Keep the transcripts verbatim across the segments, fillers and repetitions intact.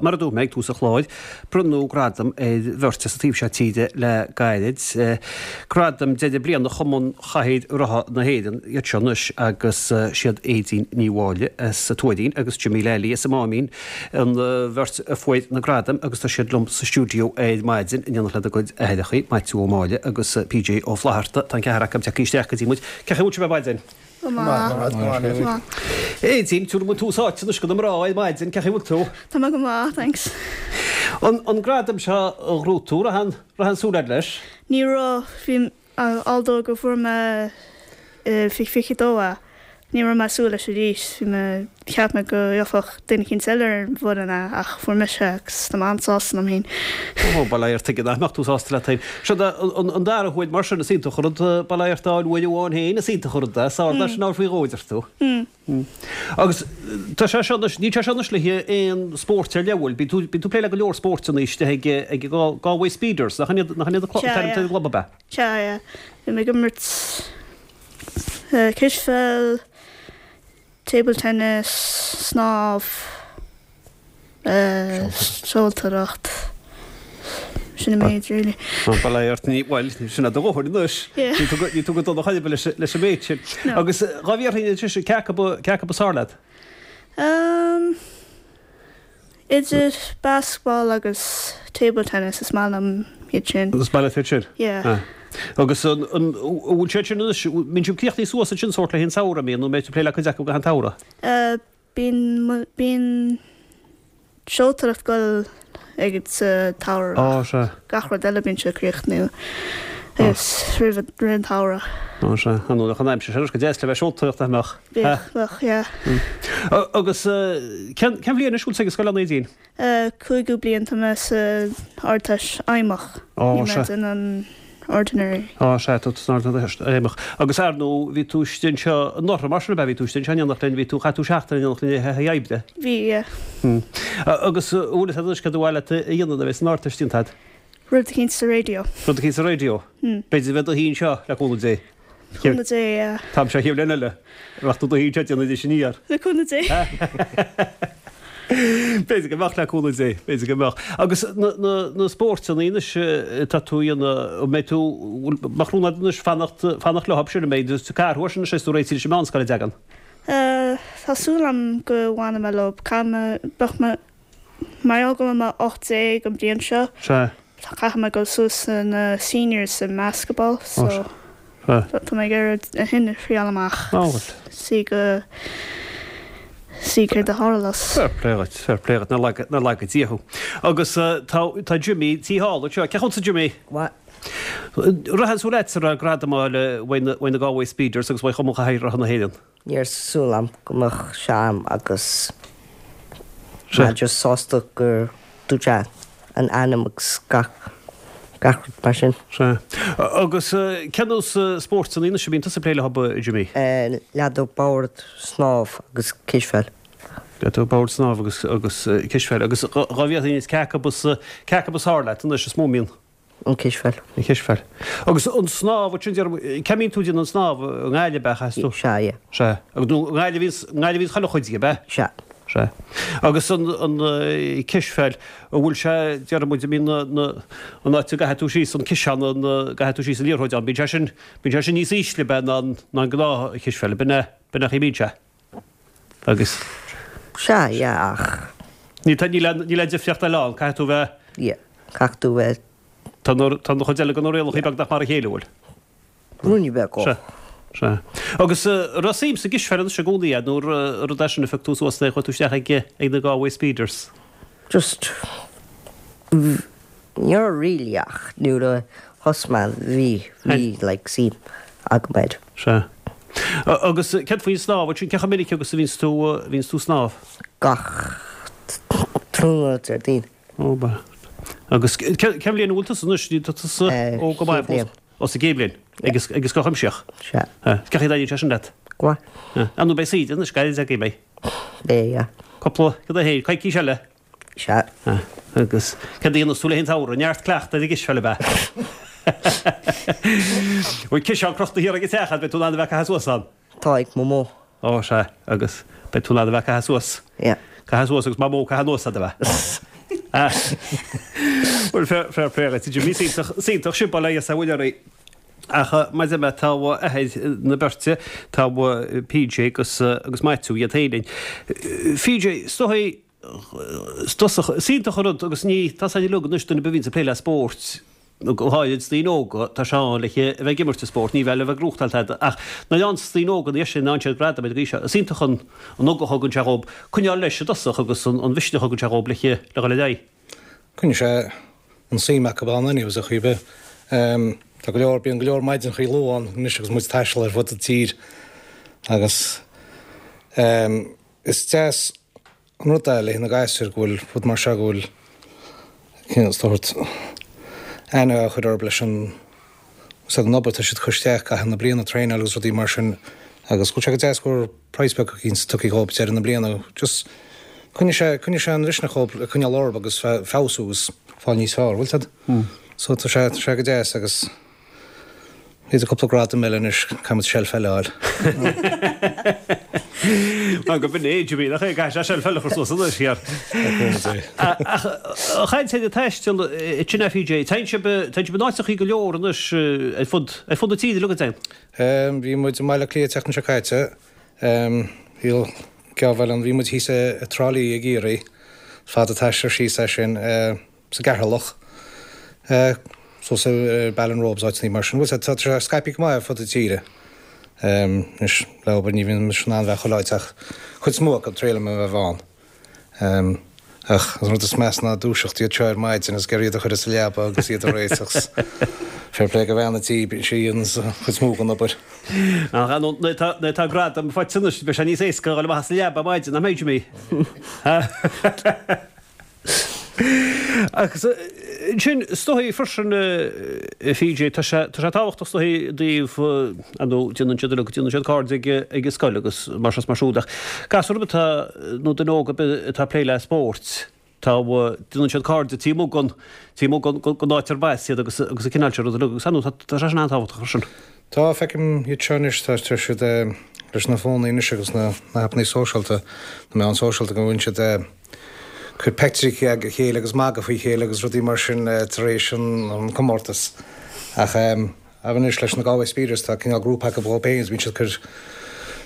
Mar a dúirt mé ag tús an chláir, bronnadh gradam ar bheirt as an taobh seo tíre le gairid. Gradam deireadh bliana Chumann Chathaoir Rotha na hÉireann iad seo anois agus siad Aedín Ní Mháille as an Tuairín agus Jimmy Lally as an Máimín an bheirt a fuair na gradaim agus tá siad liom sa stiúideo ar maidin in éineacht lena gcuid aithreacha, Maitiú Ó Máille agus PJ Ó Flatharta. Tá an ceathrar acu tagtha isteach go dtí muid. Cén chaoi a bhfuil sibh ar maidin? Go maith. Aedín, tabharfaidh muid tús áite anois do na mná ar maidin, cén chaoi a bhfuil tú? Tá mé go maith, thanks. An, an gradam seo a ghnóthaigh tú, raibh aon, raibh aon súil agat leis? Ní raibh, bhí, although go bhfuair mé fiche fiche dó é, ní raibh mé ag súil leis arís, bhí mé, cheap mé go gheobhadh duine eicínt eile ar an bhfoireann é ach fuair mise é agus tá mé an-sásta liom féin. Ó, bail ó Dhia ort, tuige nach mbeadh tú sásta leat féin. Seo an dara huair mar sin, is iontach an rud bail ó Dhia ort a fháil uair amháin féin, is iontach an rud é, is ard é sin a fháil faoi dhó a deir tú. Agus tá sé seo anois, níl sé seo anois le haghaidh aon spóirt ar leith, bhfuil? Bíonn tú, bíonn tú ag plé le go leor spóirteanna istigh ag, ag Galway Speeders, nach in iad, nach in iad an Sea, t-ainm yeah. ar an gclub ab ea? Sea, yeah. Bhí mé ag imirt cispheil, table tennis, snámh, seoltóireacht, sin an méid really. Bail ó Dhia ort, ní, bhuel, sin é do dhóthain anois. Yeah. Níl tú go, níl tú go dona chor ar bith leis, leis an méid sin. No. Agus dhá bhfiafraí anois, cé acu ba, cé acu is fearr leat? Um, idir basketball agus table tennis is maith liom iad sin. Is maith leat iad sin? Yeah. Ah. Agus an, an, bhfuil siad sin anois, mbíonn sibh críochnaithe suas ansin sórt le haghaidh an tsamhraidh, mbíonn, nó mbeidh tú ag plé le cuid acu go an tsamhradh? Uh, bíonn, bíonn seoltóireacht ag dul ag sa tsamhradh. Á, sea. Gach rud eile bíonn sé críochnú agus roimh roimh an tsamhradh. Á, sea. An bhfuil an aimsir sin go deas le bheith seoltóireacht a mbeadh? Bheadh, bheadh, yeah. Agus cén, cén bhliain anois bhfuil tú ag scoil a Aedín? Uh, cúigiú bliain tá mé sa Ardteist Fheidhmeach. Á, Níl mé sea. in an ordinary. Á, sea, tá tú san Ardteist Fheidhmeach. Agus ar ndóigh, bhí tú istigh anseo anuraidh mar sin ab ea, bhí tú istigh anseo in éineacht linn, bhí tú, chaith tú seachtain in éineacht linn ag haghaidh oibre. Bhí, yeah. Hmm. Agus bhfuil fhios agat anois cad ba mhaith leat a dhéanamh nuair a bheas an Ardteist déanta agat? Rud eicínt sa raidió. Rud eicínt sa raidió? Hmm. B'fhéidir bheith do shuí anseo le cúnamh Dé. Cúnamh Dé, yeah. Tá sé chéad bliain eile. Rachaidh tú do shuí anseo déanamh anois aniar. Le cúnamh Dé. B'fhéidir go mbeadh le cúnamh Dé, b'fhéidir go mbeadh. Agus na, na, na spóirteanna anois tá tú a dhéanamh, an mbeidh tú, mbeadh rún agat anois fanacht, fanacht leo sin, an mbeidh tú ag athrú sin anois is tú réitithe leis an meánscoil a dtagann? Uh, tá súil agam go bhfanfaidh mé leo. Caithfidh mé, beadh mé, mar gheall go bhfuil mé ocht déag an bliain seo, Sea. caithfidh mé dul suas na seniors sa basketball, so Sea. tá mé ag iarraidh a shin a thriail amach. Á, bhuel. Sí go sí céard a tharlós. Fair play duit, fair play duit, nár laga, nár laga Dia thú. Agus uh, tá, tá Jimmy tí thall anseo. Cén chaoi a bhfuil Jimmy? What? Raibh aon súil agat sa gradam a fháil uaidh na, uaidh na Galway Speeders agus uaidh Chumann Chathaoir Rotha na hÉireann. Ní raibh súil agam go mbeadh sé agam agus Sea. mé just sásta gur dúirt sé an ainm agus gach gach rud mar sin. Sea. Agus uh, cén nós uh, spóirteanna anois a bhíonn tusa ag plé leo, Jimmy? Uh, Leadóg boird, snámh agus cispheil. Leadóg boird snámh agus agus uh, cispheil agus dhá bhfiafraí cé acu is cé acu is fearr leat anois is mó mian An cispheil. an cispheil. Agus an snámh sin cé mbíonn tú déanamh an snámh i nGaillimh ab ea tú? Sea, yeah. Sea. Agus nó i nGaillimh i nGaillimh chuile chuid ab ea? Sea. Sea. Agus an an uh, cispheil an bhfuil sé deir muid bíonn na, na, an áit a gcaithfidh tú síos an ciseán an gcaithfidh tú síos an liathróid ann bíonn sé sin bíonn sé sin níos ísle be ná ná an gnáth cispheil b'in b'in a bíonn sé. Agus Sea, yeah, ach ní tá níl níl difríocht eile ann caithfidh tú bheith yeah. Caithfidh tú bheith tá tá na chuid eile go réalacha beagnach mar a chéile bhfuil. ruúní beag Sea. Sea. Agus uh, raibh suim sa gcispheil anois i gcónaí nó rud é sin a phioc tú suas le chuaigh tú isteach ag ag na Galway Speeders. Just ní really ach nuair a thosaigh mé bhí bhí like suim agam air. Sea. Agus céard faoin snámh sin cé chomh minic agus a bhíonns tú bhíonns tú snámh. Gach tráthnóna Déardaoin. Ó ba. Agus cén bhliain bhfuil tusa anois tá tusa Eh, ó go maith chéad bhliain. Ó sa gcéad bhliain agus agus go chuimseach. Sea. Cén chaoi a dtaitníonn sé sin leat. Go maith. An nó beidh saoire anois gairid agaibh mé. Beidh, yeah. Cúpla cad é féin coicís eile. Sea. Agus cad a dhéanfas tú le haghaidh an tsamhraidh neart cleachtadh ar an gcispheil ab ea. Bhfuil ciseán crochta thiar ag an teach beidh tú in ann a bheith ag caitheamh suas ann. Tá ag Mamó. Ó sea agus beidh tú in ann a bheith ag caitheamh suas. Yeah. Caith suas agus Mamó caith anuas a bheith. Bhuel fair play leat Jimmy is iontach sin bail ó Dhia is a mhuire oraibh. Ach mar a deir mé tá athair na beirte, tá PJ agus agus Maitiú iad féin linn. PJ, is dóigh, is dosach, is iontach an rud agus ní, tá sé uilig anois duine ar bith a bhíonns ag plé le spórt, go háirid daoine óga, tá sé ann le a bheith ag imirt an spóirt, ní bheith le bheith ag gnóthachtáil tada ach nuair a fhaigheanns daoine óga na deiseanna, faigheann siad gradaim ar an gcaoi seo, is iontach an an ugach a thugann sé dhób coinneáil leis i dtosach agus an an mhisneach a thugann sé dhób le le dhul ar aghaidh. Coinneoidh sé an suim acu ann anyways ar chaoi ar bith. Tá go leor, bíonn go leor maidineachaí luath ann anois agus muid ag taisteal ar fud an tír agus is deas an rud é le na gasúir go bhfuil rud mar seo go bhfuil cineál sórt aithne á chur orthu leis an úsáid an obair atá siad ag cur isteach i gcaitheamh na bliana, traenáil agus rudaí mar sin agus go bhfuil sé go deas go bhfuil prize beag eicínt tugtha dhób deireadh na bliana. Just coinneoidh sé, coinneoidh sé an mhisneach dhób le coinneáil orthu agus feabhsú agus fáil níos fearr, bhfuil 'fhios a'd? So tá sé, tá sé go deas agus b'fhéidir cúpla gradam eile anois, caithfidh muid seilf eile a fháil. Mar go b'in é, Jimí, nach é, caithfidh sé seilf eile a chur suas anois, thiar. Ach chaith sé ag taisteal sin é PJ, téann sibh, téann sibh in áiteachaí go leor anois ar fud, ar fud na tíre uilig, an dtéann? Bhí muid i mBaile Átha Cliath an tseachtain seo caite, bhí geábh ann, bhí muid thíos i dTrá Lí i gCiarraí, fada an t-aistear síos é sin, sa gCeatharlach. Suas ar Ballinrobe is áiteanna mar sin. Bhuel, tá sé scaipthe go maith ar fud na tíre. Anois, le obair ní bhíonn mise in ann bheith chuile áit ach chuid is mó acu triailim a bheith ann. Ach an rud is measa ná dúiseacht iad seo ar maidin is ag iarraidh iad a chur sa leaba agus iad a réiteach. Fair play do bhean an tí, bíonn sí an chuid is mó den obair. Ach ar ndóigh, nuair atá gradam faighte anois, beidh sé níos éasca a dhul amach as an leaba ar maidin, nach mbeidh, Jimí? Agus ansin, is dóigh freisin, a PJ, tá sé, tá sé tábhachtach is dóigh i dtaobh, ar ndóigh, déanann siad uilig, déanann siad cairde ag, ag an scoil agus mar seo is mar siúd ach gasúr ar bith atá, nó duine óg ar bith atá ag plé le spórt, tá, déanann siad cairde taobh amuigh den, taobh amuigh den, den áit arb as iad agus, agus an cineál sin rud uilig agus ar ndóigh tá, tá sé sin an-tábhachtach freisin. Tá, feicim iad seo anois, tá, tá siad leis na fónaí anois agus na, na haipeanna sóisialta, na meáin sóisialta go bhfuil siad, cur peictiúirí ag a chéile agus magadh faoi chéile agus rudaí mar sin tar éis an comórtas. Ach anois leis na Galway Speeders tá cineál grúpa acu dhóibh féin agus bíonn siad ag cur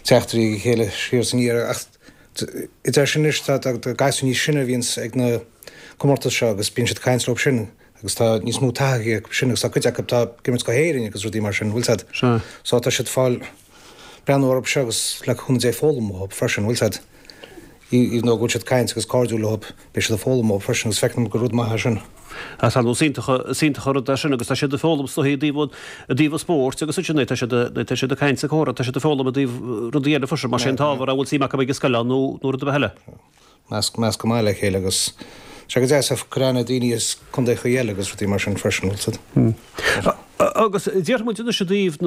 teachtairí ag a chéile siar is aniar. Ach idir sin anois tá gasúir níos sine a bhíonns ag na comórtais seo agus bíonn siad ag caint leo sin agus tá níos mó taithí acu sin agus tá cuid acu atá ag imirt go hÉirinn agus rudaí mar sin, bhfuil 's a'd. So tá siad fáil breathnú orthu seo agus le cúnamh Dé foghlaim uathu freisin, bhfuil 's a'd. Even though go bhfuil siad ag caint agus cairdiúil leo, beidh siad ag foghlaim uathu freisin agus feicim gur rud maith é sin. Is ar ndóigh is iontach, is iontach an rud é sin agus tá siad ag foghlaim is dóigh i dtaobh, i dtaobh an spóirt agus ansin tá siad, tá siad ag caint is ag comhrá, tá siad ag foghlaim i dtaobh rudaí eile freisin, más é an t-ábhar a bhfuil suim acu ag an scoil ann nó, nó rud ar bith eile. Measc, measc go maith le chéile agus tá sé go deas ag cur aithne ar daoine as contaechaí eile agus rudaí mar sin freisin, bhfuil 's a'd. Agus déarfaidh muid anois i dtaobh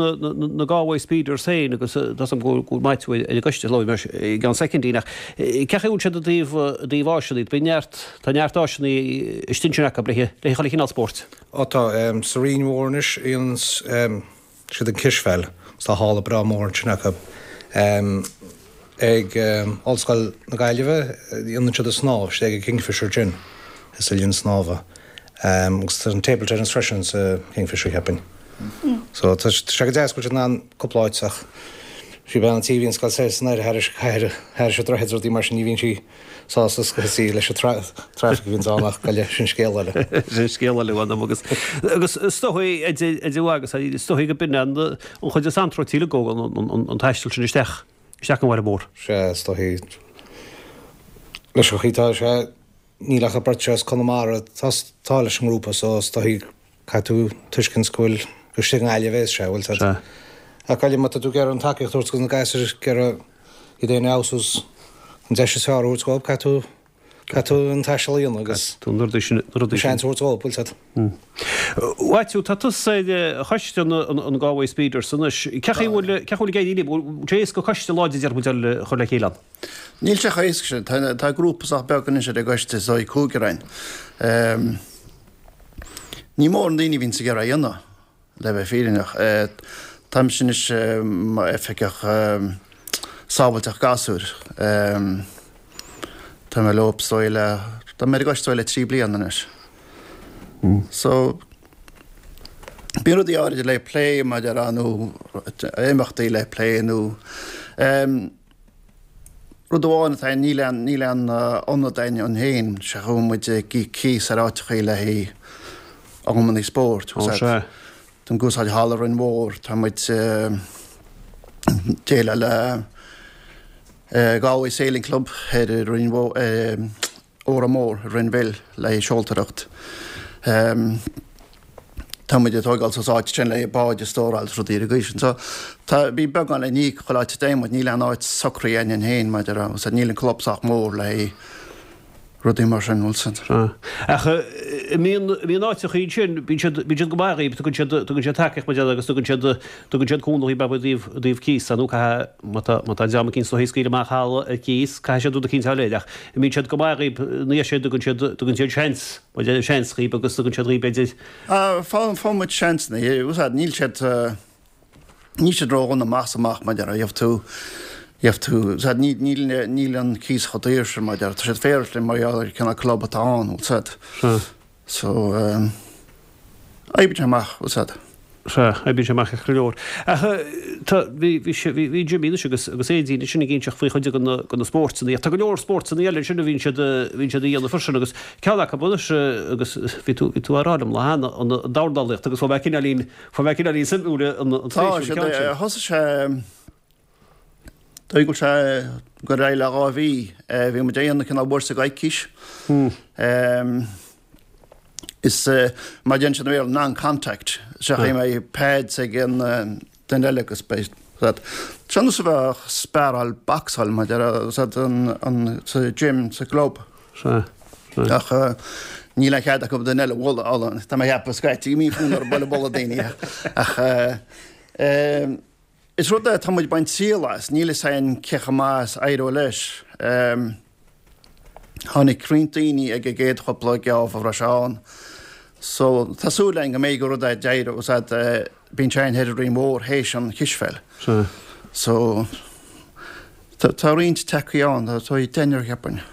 na Galway Speeders féin agus tá 's agam go bhfuil Maitiú ar an gcoiste, labhróidh mé i gceann soicindín ach cén chaoi a bhfuil siad i dtaobh i dtaobh áiseanna, bíonn neart, tá neart áiseanna istigh ansin acu le le chuile chineál spóirt. Ó tá, sa Rinn Mhór anois déanann siad an cispheil agus tá halla breá mór ansin acu. Ag Ollscoil na Gaillimhe déanann siad an snámh, istigh ag an Kingfisher Gin, sa linn snámha. Agus tá an table tennis freisin sa Kingfisher cheapfainn. So tá sé go deas go bhfuil siad in ann cúpla áit ach sí bean an tí a bhíonn ag gabháil soir is anoir thairis cathair thairis an droichead is rudaí mar sin ní bhíonn sí sásta scaití leis an traffic a bhíonns ann ach goile sin scéal eile. Sin scéal eile uaim agus agus is dóigh idir agus is dóigh go b'in an chuid is anróití uilig an taisteal sin isteach isteach an bhaile mór. Sea is dóigh leis an chaoi tá sé Níl ach an bheirt as Conamara atá leis an ngrúpa so is dóigh caithfidh tú tuiscint go bhfuil gur istigh i nGaillimh a bhéas sé, bhfuil 's a'd. Ach Gaillimh má tá tú ag iarraidh an tacaíocht a thabhairt do na gasúir ag iarraidh iad féin a fheabhsú is an deis is fearr a thabhairt dhóibh caithfidh tú caithfidh tú an taisteal a dhéanamh agus Tú na rudaí sin na rudaí sin. seans a thabhairt dhóibh, bhfuil 's a'd. Mhaitiú, tá tusa ar choiste an Galway Speeders anois. Cén chaoi a bhfuil cén chaoi a bhfuil ag éirí libh? Bhfuil sé éasca coiste láidir déarfaidh muid a chur le chéile ann? Níl sé chomh héasca sin. Tá grúpa sách beag anois ar an gcoiste, is dóigh cúigear againn. Ní mór na daoine a bhíonns ag iarraidh a dhéanamh, le bheith fírinneach. Táimse anois mar oifigeach sábháilteacht gasúir. Tá mé leo is dóigh le, tá mé ar an gcoiste is dóigh le trí bliana anois. So, bíonn rudaí áirid le plé mar a déarfá nó imeachtaí le plé nó rud amháin atá níl aon níl aon ionad againn féin, sé go bhfuil muid ag íoc cíos ar áiteachaí le haghaidh amannaí spóirt. Ó sea. Tá muid ag úsáid halla Rinn Mhór, tá muid déileáil le Galway Sailing Club ar Rinn Mhór, Órán Mór, Rinn Mhill le haghaidh seoltóireacht. Tá muid ag tógáil suas áit sin le báid a stóráil is rudaí ar an gcaoi sin. So tá, bhí beagán le n-íoc chuile áit a dtéann muid, níl aon áit socraithe againn féin maidir le, níl an club sách mór le haghaidh rudaí mar sin, bhfuil 's a'd. Sea. Ach an mbíonn, mbíonn áiteachaí ansin, bíonn siad, bíonn siad go maith dhaoib, tugann siad, tugann siad tacaíocht mar agus tugann siad, tugann siad cúnamh dhaoib i dtaobh, i dtaobh cíosa nó caithfidh, má tá, má tá dream eicínt ag scaoileadh amach halla ar cíos, caithfidh siad rud eicínt a fháil air ach an mbíonn siad go maith dhaoib, ní hea, tugann siad, tugann siad seans, mar a seans dhaoib agus tugann siad dhaoib b'fhéidir. Ah, faigheann, faigheann muid seansanna, bhfuil 's a'd, níl siad, Níl siad ródhona amach is amach mar a déarfá, gheobhaidh tú, gheobhaidh tú, 's a'd, níl, níl, níl an cíos chomh daor sin mar a déarfá, tá siad féaráilte linn mar gheall ar an cineál club atá ann, bhfuil 's a'd. Sea. So, eh, oibríonn sé amach, bhfuil 's a'd. Sea, oibríonn sé amach go leor. Ach tá, bhí, bhí sé, bhí, bhí Jimmy anois agus, agus Aedín ansin ag inseacht faoi chuid de na, de na spóirteanna. Tá go leor spóirteanna eile ansin a bhíonn siad, a bhíonn siad a dhéanamh freisin agus ceann acu anois agus bhí tú, bhí tú á rá liom lá cheana, an dornálaíocht agus fuair mé cineáilín, Fuair mé cineáilín suimiúil an Tá spéisiúil an ceann sin. Thosaigh sé, dóigh go bhfuil sé ag dul ar aghaidh le dhá mhí. Bhí muid ag déanamh cineál bhursa coicís. Is mar a deireann siad i mBéarla non-contact. Sea go mbeidh pads ag an duine eile agus beidh siad. Seo nós a bheadh sparáil bocsáil mar a déarfá an sa gym sa gclub. Sea. Ach níl aon chead acu duine eile a bhualadh. Tá mé ag ceapadh scaití go mbíonn fonn orthu bualadh bualadh daoine. Ach is rud é, tá muid ag baint triail as, níl fhios againn cé chomh maith is a éireoidh leis. Tháinig roinnt daoine ag an gcéad chúpla geábh a raibh sé ann. So tá súil againn go mbeidh gur rud é d'éireoidh, is ea, bíonn sé ann thoir i Rinn Mhór théis an chispheil. So Tá roinnt tacaí ann, tá deichniúr cheapfainn.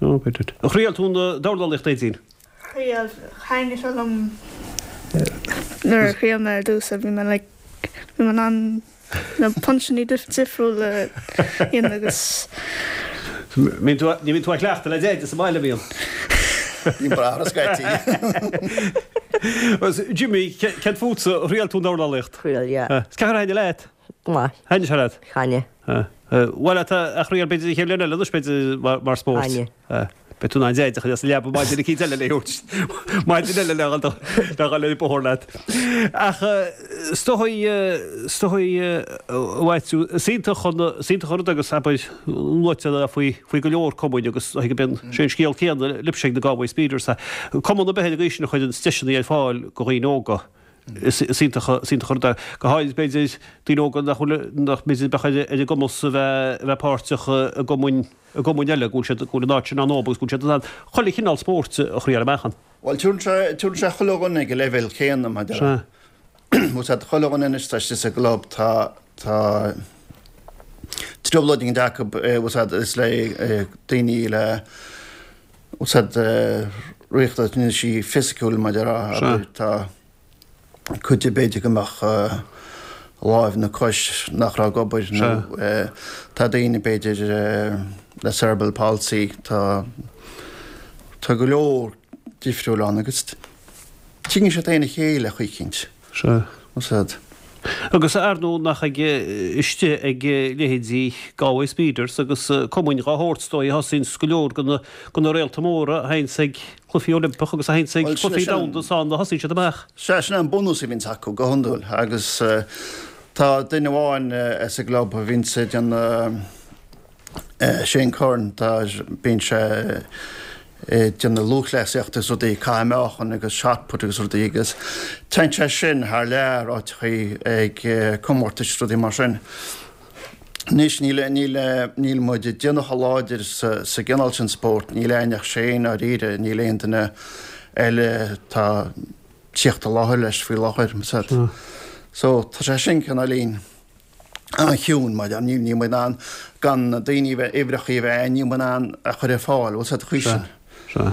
Ó, b'fhéidir. Ar thriail tú an dornálaíocht, Aedín? Thriail. Thaitnigh sé liom nuair a thriail mé ar dtús, bhí mé like, bhí mé in ann na puncheanna difriúla a dhéanamh agus. Ní bhíonn tú ag cleachtadh le Deaide sa mbaile, an mbíonn? Bíonn braitheadh scaití. Jimmy, céard fútsa, ar thriail tú an dornálaíocht? Thriail, yeah. Is cén chaoi ar thaitnigh leat? Go maith. Thaitnigh sé leat? Thaitnigh. Bhuel, tá a thriail b'fhéidir an chéad bhliain eile anois b'fhéidir mar spórt. Thaitnigh. Beidh tú in ann Deaide a chur as an leaba maidin eicínt eile le thabhairt maidin eile le dhul le dhul ar an bóthar leat. Ach is dóigh is dóigh a Mhaitiú, is iontach an is iontach an rud agus abair luaite faoi faoi go leor cumainn agus is dóigh go mbíonn sé an scéal céanna libhse ag na Galway Speeders. Cumann ar bith ar an gcaoi sin a chuireann deiseanna ar fáil do dhaoine óga. Is iontach an rud é, go háirid b'fhéidir daoine óga nach bhfuil, nach mb'fhéidir bheadh ar a gcumas a bheith, a bheith páirteach i gcumainn, i gcumainn eile, go bhfuil siad, go bhfuil an áit sin ann dóibh agus go bhfuil siad in ann chuile chineál spóirt a thriail amach ann. Bhuel, tugann sé, tugann sé chuile dhuine ag an leibhéal céanna, mar a déarfá. Bhfuil 's a'd, chuile dhuine anois atá istigh sa gclub, tá, tá trioblóid éigin acu, bhfuil 's a'd, is le daoine le, bhfuil 's a'd, riachtanaisí fisiciúil, mar a déarfá, tá cuid de b'fhéidir go mbeadh láimh nó cois nach raibh ag obair nó tá daoine b'fhéidir le cerebral palsy, tá tá go leor difriúil ann agus tuigeann siad féin a chéile chaoi eicínt. Sea. Bhfuil 's a'd. Agus ar ndóigh nach ag istigh ag leithéidí Galway Speeders agus cumainn dhá shórt is dóigh a thosaíonns go leor de na de na réalta móra a théanns ag Cluichí Oilimpeach agus a théanns ag Cluichí Domhanda is ann a thosaíonn siad amach. Sea, sin é an bunús a bhíonns acu go hiondúil agus tá duine amháin sa gclub a bhíonns ag déanamh Shane Curran, tá, bíonn sé ag déanamh lúthchleasaíochta agus rudaí, caitheamh meáchain agus shot put agus rudaí agus téann sé sin thar lear áiteachaí ag comórtais is rudaí mar sin. Anois níl, níl, níl muid ag déanamh chomh láidir sa, sa gcineál sin spóirt, níl againn ach Shane dáiríre, níl aon duine eile atá tíocht i láthair leis faoi láthair, so tá sé sin cineáilín. an-chiúin mar níl níl muid in ann gan na daoine bheith uimhreacha a bheith níl muid in ann a chur ar fáil, bhfuil 's agat chuige sin. Sea.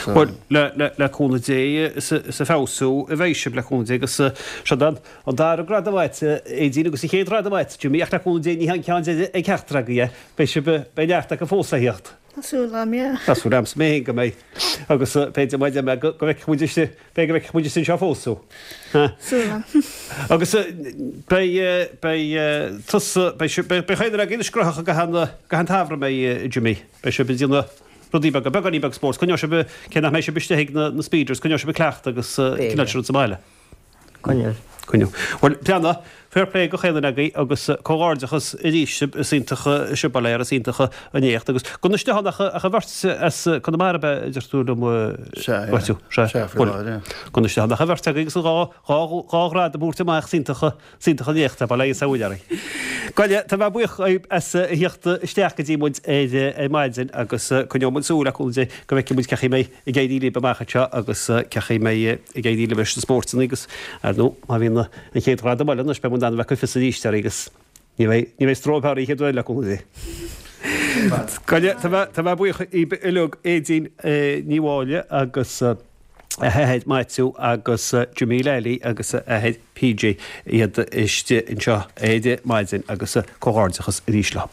Bhuel, le, le, le cúnamh Dé is ag feabhsú a bheidh sibh le cúnamh Dé agus seo an an dara gradam agat, Aedín, agus an chéad ghradam agat, Jimmy, ach le cúnamh Dé ní hé an ceann deiridh ag ceachtar agaibh é. Beidh sibh, beidh neart acu fós le theacht. Tá súil agam, yeah. Tá súil agamsa mé féin go mbeidh. Agus b'fhéidir mar a deir mé go bhfeicfidh muid istigh, b'fhéidir go bhfeicfidh muid istigh anseo fós thú. Súil agam. Agus beidh, beidh tusa, beidh sibh, beidh chaon duine agaibh anois graitheach i gcaitheamh an, i gcaitheamh an tsamhraidh, an mbeidh, Jimmy? Beidh sibh ag déanamh rudaí beaga, beagáinín beag spóirt, coinneoidh sibh, cé nach mbeidh sibh istigh ag na, na speeders, coinneoidh sibh ag cleachtadh agus cineál sin rud sa mbaile. Coinneoidh. Coinneoidh. Bhuel, breathnaigh, fair play do chaon duine agaibh agus comhghairdeachas arís sibh, is iontach sibh go léir, is iontach an éacht agus go n-istigh ann ach ach an bheirt as Conamara ab ea a deir tú liom Sea, Maitiú, sea. Sea, faoi Bhuel, láthair, yeah. go n-istigh ann ach an bheirt agaibh agus an dhá, dhá, dhá ghradam a thabhairt amach, is iontach, is iontach an éacht é, bail ó Dhia is ó Mhuire oraibh. Gabh i leith, tá mé buíoch agaibh as a theacht isteach go dtí muid ar ar maidin agus coinneoidh muid súil le cúnamh Dé go bhfeicfidh muid cén chaoi a mbeidh ag éirí libh amach anseo agus cén chaoi a mbeidh ag éirí libh leis na spóirteanna agus ar ndóigh má bhíonn an chéad ghradam eile anois beidh muid in ann a bheith ag cur fios arís oraibh agus ní bheidh ní bheidh stróip oraibh an chéad uair eile le cúnamh Dé. Gabh i leith, tá mé tá mé buíoch díbh uilig Aedín Ní Mháille agus a hathair Maitiú agus Jimmy Lally agus a athair PJ iad istigh anseo ar maidin agus comhghairdeachas arís leo.